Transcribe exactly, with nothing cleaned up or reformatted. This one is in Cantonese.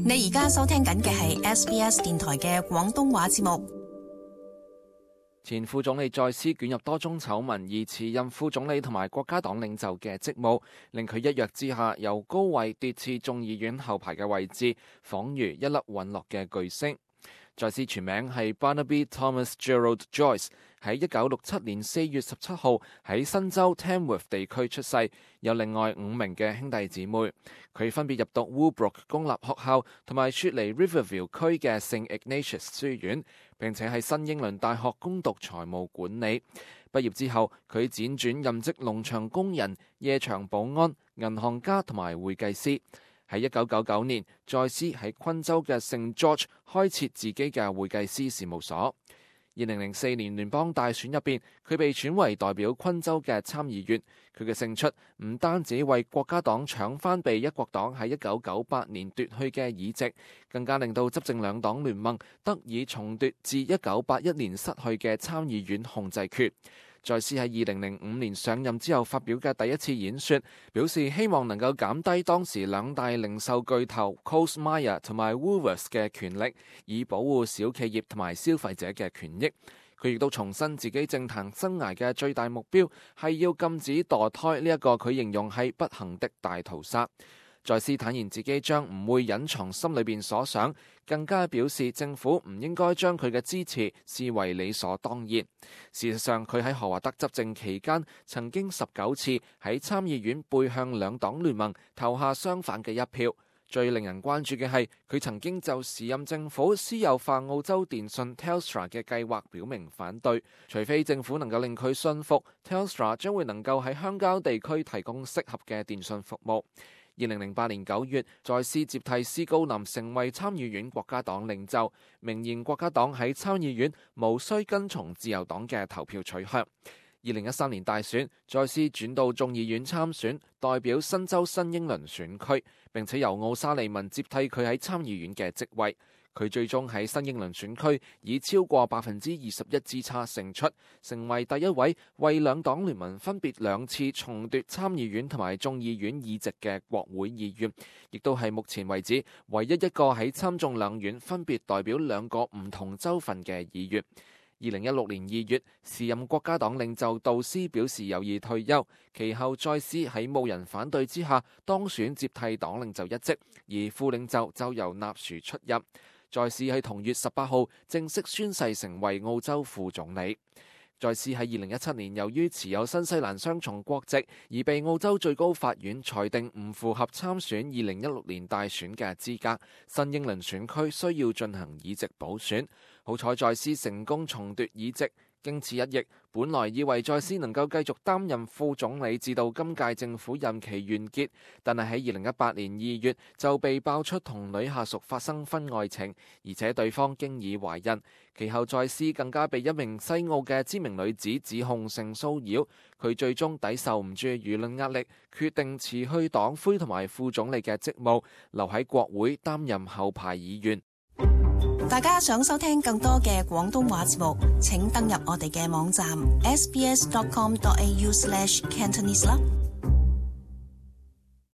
你而家收聽緊嘅係 S B S 電台嘅廣東話節目。前副總理在斯捲入多宗醜聞，而辭任副總理同埋國家黨領袖嘅職務，令佢一躍之下由高位奪至眾議院後排嘅位置，仿如一粒隕落嘅巨星。在斯全名係 Barnaby Thomas Gerald Joyce， 喺一九六七年四月十七號喺新州 Tamworth 地區出世，有另外五名嘅兄弟姊妹。佢分別入讀 Woolbrook 公立學校同埋雪梨 Riverview 區嘅聖 Ignatius 書院，並且喺新英倫大學攻讀財務管理。畢業之後，佢輾轉任職農場工人、夜場保安、銀行家同埋會計師。喺一九九九年，在斯喺昆州嘅聖 George 開設自己嘅會計師事務所。二零零四年聯邦大選入邊，佢被選為代表昆州嘅參議員。佢嘅勝出唔單止為國家黨搶翻被一國黨喺一九九八年奪去嘅議席，更加令到執政兩黨聯盟得以重奪自一九八一年失去嘅參議院控制權。在斯喺二零零五年上任之後發表嘅第一次演說，表示希望能夠減低當時兩大零售巨頭 Coles Myer 同埋 Woolworths 嘅權力，以保護小企業同埋消費者嘅權益。佢亦都重申自己政壇生涯嘅最大目標係要禁止墮胎呢一個佢形容係不幸的大屠殺。在斯坦言自己將唔會隱藏心裏邊所想，更加表示政府唔應該將佢嘅支持視為理所當然。事實上，佢喺何華德執政期間，曾經十九次喺參議院背向兩黨聯盟投下相反嘅一票。最令人關注嘅係，佢曾經就時任政府私有化澳洲電信 Telstra 嘅計劃表明反對，除非政府能夠令佢信服 Telstra 將會能夠喺鄉郊地區提供適合嘅電信服務。二零零八年九月，在斯接替斯高林成為參議院國家黨領袖，明言國家黨喺參議院無需跟從自由黨嘅投票取向。二零一三年大選，在斯轉到眾議院參選，代表新州新英倫選區，並且由奧沙利文接替佢喺參議院嘅職位。佢最終喺新英倫選區以超過百分之二十一之差勝出，成為第一位為兩黨聯盟分別兩次重奪參議院同埋眾議院議席嘅國會議員，亦都係目前為止唯一一個喺參眾兩院分別代表兩個唔同州份嘅議員。二零一六年二月，時任國家黨領袖杜斯表示有意退休，其後再斯喺冇人反對之下當選接替黨領袖一職，而副領袖就由納殊出任。在斯喺同月十八號正式宣誓成為澳洲副總理。在斯喺二零一七年由於持有新西蘭雙重國籍，而被澳洲最高法院裁定唔符合參選二零一六年大選嘅資格，新英倫選區需要進行議席補選。好彩在斯成功重奪議席。經此一役，本來以為在斯能夠繼續擔任副總理至到今屆政府任期完結，但係喺二零一八年二月就被爆出同女下屬發生婚外情，而且對方經已懷孕。其後在斯更加被一名西澳嘅知名女子指控性騷擾，佢最終抵受唔住輿論壓力，決定辭去黨魁同埋副總理嘅職務，留喺國會擔任後排議員。大家想收聽更多嘅廣東話節目，請登入我哋嘅網站 s b s dot com dot a u slash cantonese 啦。